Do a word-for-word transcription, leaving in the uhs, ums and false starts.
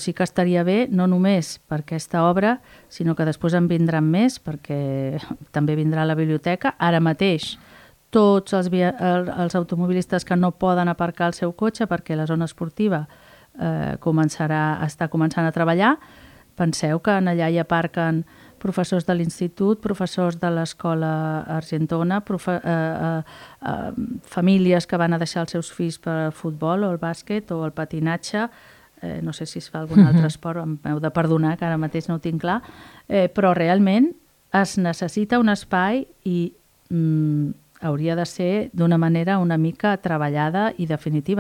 Sí que estaria bé, no només per aquesta obra, sinó que després en vindran més, perquè també vindrà a la biblioteca. Ara mateix, tots els, via... els automobilistes que no poden aparcar el seu cotxe perquè la zona esportiva eh, començarà, està començant a treballar, penseu que allà hi aparquen professors de l'institut, professors de l'escola Argentona, profe... eh, eh, eh, famílies que van a deixar els seus fills per al futbol o el bàsquet o el patinatge. Eh, no sé si es fa algun altre esport, em heu de perdonar, que ara mateix no ho tinc clar, eh, però realment es necessita un espai i mm, hauria de ser d'una manera una mica treballada i definitiva.